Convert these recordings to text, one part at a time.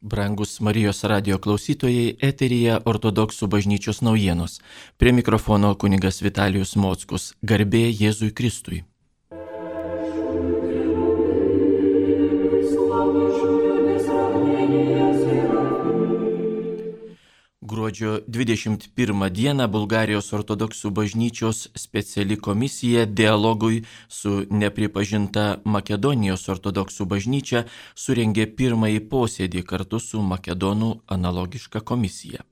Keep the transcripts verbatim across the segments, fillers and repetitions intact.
Brangus Marijos radijo klausytojai, eteryje ortodoksų bažnyčios naujienos. Prie mikrofono kunigas Vitalijus Mockus. Garbė Jėzui Kristui. Gruodžio dvidešimt pirmą dieną Bulgarijos ortodoksų bažnyčios speciali komisija dialogui su nepripažinta Makedonijos ortodoksų bažnyčia surengė pirmąjį posėdį kartu su Makedonų analogiška komisija.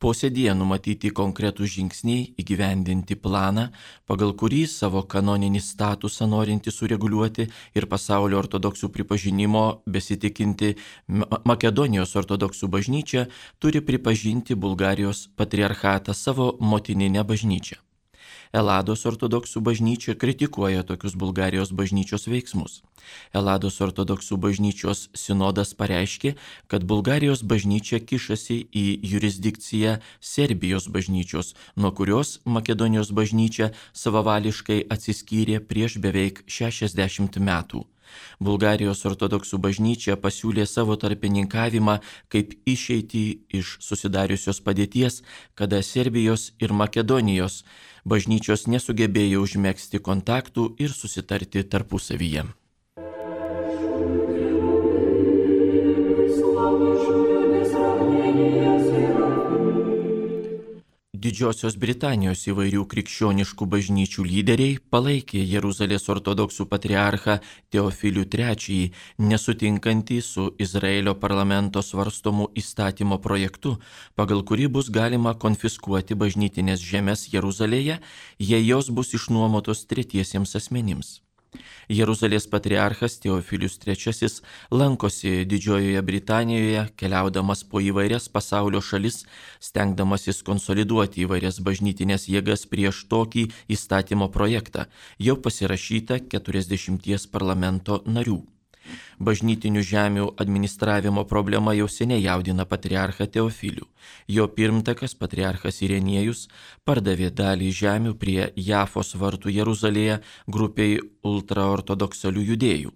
Posėdyje numatyti konkretų žingsniai įgyvendinti planą, pagal kurį savo kanoninį statusą norinti sureguliuoti ir pasaulio ortodoksų pripažinimo besitikinti Makedonijos ortodoksų bažnyčia turi pripažinti Bulgarijos patriarchatą savo motininę bažnyčią. Elados ortodoksų bažnyčia kritikuoja tokius Bulgarijos bažnyčios veiksmus. Elados ortodoksų bažnyčios sinodas pareiškė, kad Bulgarijos bažnyčia kišasi į jurisdikciją Serbijos bažnyčios, nuo kurios Makedonijos bažnyčia savavališkai atsiskyrė prieš beveik šešiasdešimt metų. Bulgarijos ortodoksų bažnyčia pasiūlė savo tarpininkavimą kaip išeitį iš susidariusios padėties, kada Serbijos ir Makedonijos bažnyčios nesugebėjo užmegzti kontaktų ir susitarti tarpusavyje. Didžiosios Britanijos įvairių krikščioniškų bažnyčių lyderiai palaikė Jeruzalės ortodoksų patriarchą Teofilių trečiąjį, nesutinkantį su Izraelio parlamento svarstomu įstatymo projektu, pagal kurį bus galima konfiskuoti bažnytinės žemės Jeruzalėje, jei jos bus išnuomotos tretiesiems asmenims. Jeruzalės patriarchas Teofilius trečiasis lankosi Didžiojoje Britanijoje, keliaudamas po įvairias pasaulio šalis, stengdamasis konsoliduoti įvairias bažnytinės jėgas prieš tokį įstatymo projektą, jau pasirašytą keturiasdešimties parlamento narių. Bažnytinių žemių administravimo problema jau seniai jaudina patriarchą Teofilių. Jo pirmtakas, patriarchas Irenėjus, pardavė dalį žemių prie Jafos vartų Jeruzalėje grupiai ultraortodoksalių judėjų.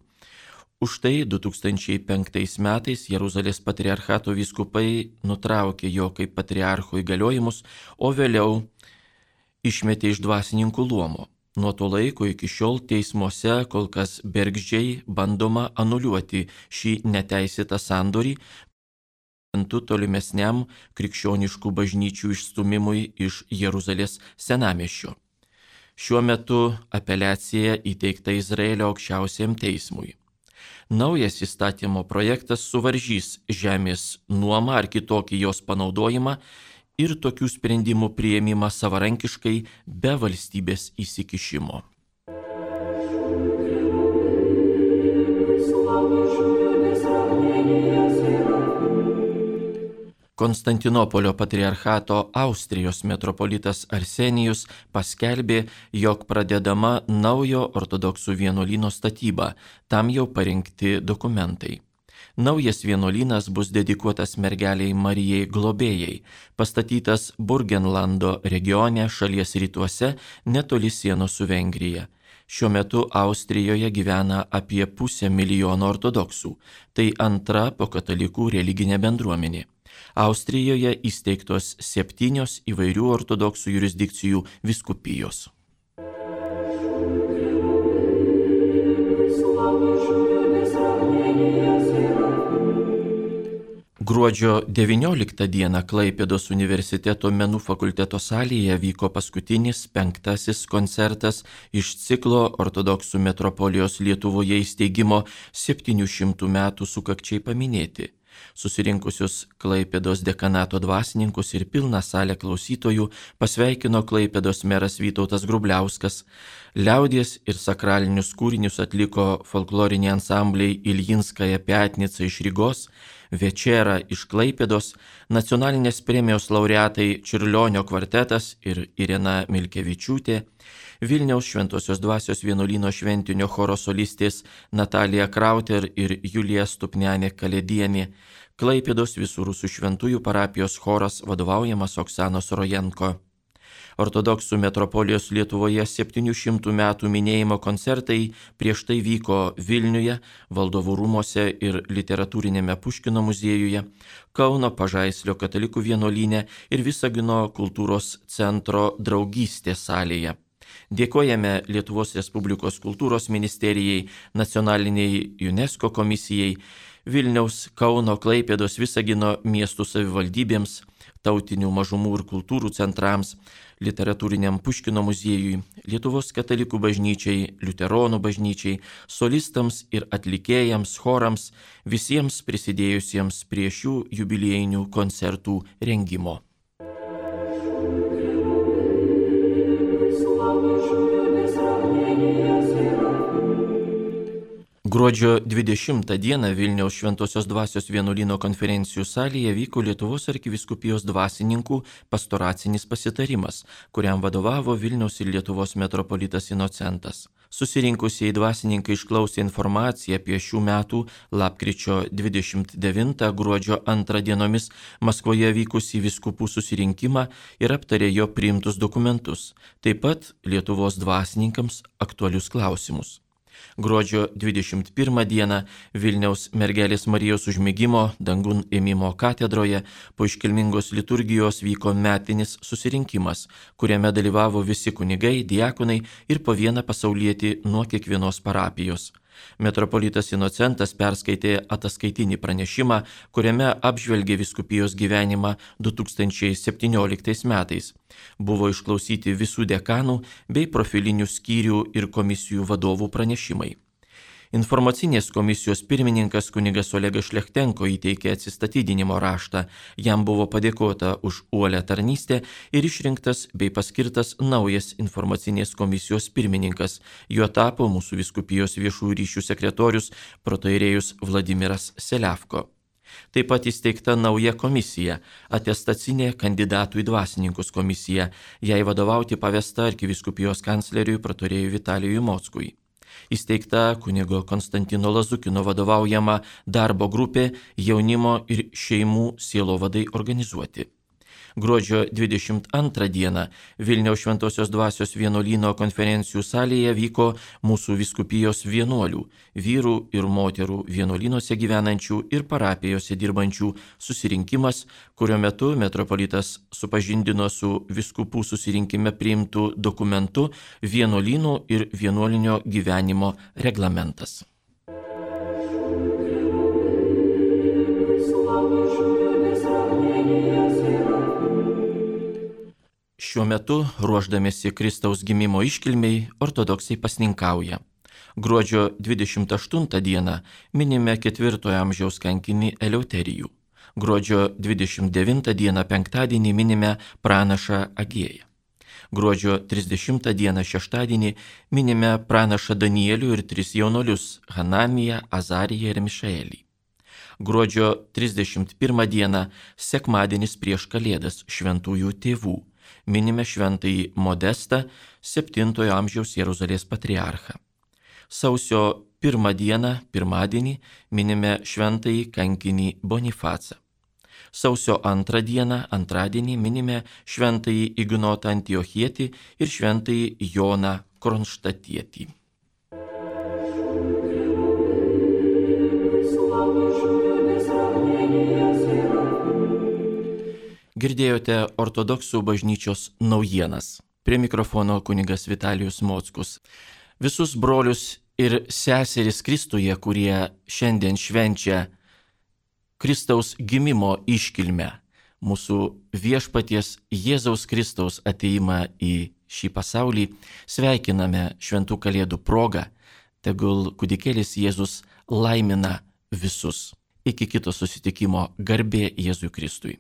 Už tai du tūkstančiai penktais metais Jeruzalės patriarchato vyskupai nutraukė jo kaip patriarcho įgaliojimus, o vėliau išmetė iš dvasininkų luomo. Nuo to laiko iki šiol teismuose kol kas bergždžiai bandoma anuliuoti šį neteisėtą sandorį, tolimesniam krikščioniškų bažnyčių išstūmimui iš Jeruzalės senamiesčio. Šiuo metu apeliacija įteikta Izraelio aukščiausiam teismui. Naujas įstatymo projektas suvaržys žemės nuomą ar kitokį jos panaudojimą ir tokių sprendimų priėmimą savarankiškai be valstybės įsikišimo. Konstantinopolio patriarchato Austrijos metropolitas Arsenijus paskelbė, jog pradedama naujo ortodoksų vienuolyno statyba, tam jau parengti dokumentai. Naujas vienuolynas bus dedikuotas mergeliai Marijai Globėjai, pastatytas Burgenlando regione šalies rytuose netoli sienos su Vengrija. Šiuo metu Austrijoje gyvena apie pusę milijono ortodoksų, tai antra po katalikų religinė bendruomenė. Austrijoje įsteigtos septynios įvairių ortodoksų jurisdikcijų vyskupijos. Gruodžio devynioliktą dieną Klaipėdos universiteto menų fakulteto salėje vyko paskutinis penktasis koncertas iš ciklo ortodoksų metropolijos Lietuvoje įsteigimo septynių šimtų metų sukakčiai paminėti. Susirinkusius Klaipėdos dekanato dvasininkus ir pilną salę klausytojų pasveikino Klaipėdos meras Vytautas Grubliauskas. Liaudies ir sakralinius kūrinius atliko folkloriniai ansambliai Iljinskaja Piatnica iš Rygos, Večera iš Klaipėdos, nacionalinės premijos laureatai Čiurlionio kvartetas ir Irena Milkevičiūtė, Vilniaus Šventosios dvasios vienuolyno šventinio choro solistės Natalija Krauter ir Julija Stupnianė Kalėdienė, Klaipėdos visų rusų šventųjų parapijos choras vadovaujamas Oksanos Rojenko. Ortodoksų metropolijos Lietuvoje septynių šimtų metų minėjimo koncertai prieš tai vyko Vilniuje, Valdovų rūmuose ir Literatūrinėme Puškino muziejuje, Kauno Pažaislio katalikų vienuolyne ir Visagino kultūros centro Draugystės salėje. Dėkojame Lietuvos Respublikos kultūros ministerijai, nacionaliniai UNESCO komisijai, Vilniaus, Kauno, Klaipėdos, Visagino miestų savivaldybėms, tautinių mažumų ir kultūrų centrams, Literatūriniam Puškino muziejui, Lietuvos katalikų bažnyčiai, liuteronų bažnyčiai, solistams ir atlikėjams, chorams, visiems prisidėjusiems prie šių jubiliejinių koncertų rengimo. Gruodžio dvidešimtą dieną Vilniaus Šventosios Dvasios vienuolyno konferencijų salėje vyko Lietuvos arkivyskupijos dvasininkų pastoracinis pasitarimas, kuriam vadovavo Vilniaus ir Lietuvos metropolitas Inocentas. Susirinkusieji dvasininkai išklausė informaciją apie šių metų lapkričio dvidešimt devintą gruodžio antrą dienomis Maskvoje vykusį vyskupų susirinkimą ir aptarė jo priimtus dokumentus, taip pat Lietuvos dvasininkams aktualius klausimus. Gruodžio dvidešimt pirmą dieną Vilniaus Mergelės Marijos užmigimo dangun ėmimo katedroje po iškilmingos liturgijos vyko metinis susirinkimas, kuriame dalyvavo visi kunigai, diakonai ir po vieną pasaulietį nuo kiekvienos parapijos. Metropolitas Inocentas perskaitė ataskaitinį pranešimą, kuriame apžvelgė vyskupijos gyvenimą du tūkstančiai septynioliktais metais. Buvo išklausyti visų dekanų bei profilinių skyrių ir komisijų vadovų pranešimai. Informacinės komisijos pirmininkas kunigas Olegas Šlechtenko įteikė atsistatydinimo raštą, jam buvo padėkota už uolią tarnystę ir išrinktas bei paskirtas naujas informacinės komisijos pirmininkas. Juo tapo mūsų vyskupijos viešųjų ryšių sekretorius protoirėjus Vladimiras Seliavko. Taip pat įsteigta nauja komisija, atestacinė kandidatų į dvasininkus komisija, jai vadovauti pavesta arkivyskupijos kancleriui protoirėjui Vitalijui Mockui. Įsteigta kunigo Konstantino Lazukino vadovaujama darbo grupė jaunimo ir šeimų sielovadai organizuoti. Gruodžio dvidešimt antrą dieną Vilniaus Šventosios Dvasios vienuolyno konferencijų salėje vyko mūsų vyskupijos vienuolių, vyrų ir moterų vienuolynuose gyvenančių ir parapijose dirbančių susirinkimas, kurio metu metropolitas supažindino su vyskupų susirinkime priimtų dokumentu vienuolynų ir vienuolinio gyvenimo reglamentas. Šiuo metu, ruošdamėsi Kristaus gimimo iškilmei, ortodoksai pasninkauja. Gruodžio dvidešimt aštuntą dieną minime ketvirtojo amžiaus kankinį Eleuterijų. Gruodžio dvidešimt devintą dieną penktadienį minime pranašą Agėją. Gruodžio trisdešimtą dieną šeštadienį minime pranašą Danielių ir tris jaunolius – Hananiją, Azariją ir Mišaelį. Gruodžio trisdešimt pirmą dieną sekmadienis prieš Kalėdas šventųjų tėvų. Minime šventąjį Modestą, septintojo amžiaus Jeruzalės patriarchą. Sausio pirmą dieną, pirmadienį, minime šventąjį kankinį Bonifacą. Sausio antrą dieną, antradienį, minime šventąjį Ignotą Antiochietį ir šventąjį Joną Kronštatietį. Girdėjote ortodoksų bažnyčios naujienas. Prie mikrofono kunigas Vitalijus Mockus. Visus brolius ir seseris Kristuje, kurie šiandien švenčia Kristaus gimimo iškilmę, mūsų viešpaties Jėzaus Kristaus atėjimą į šį pasaulį, sveikiname šventų kalėdų progą. Tegul kūdikėlis Jėzus laimina visus. Iki kito susitikimo, garbė Jėzui Kristui.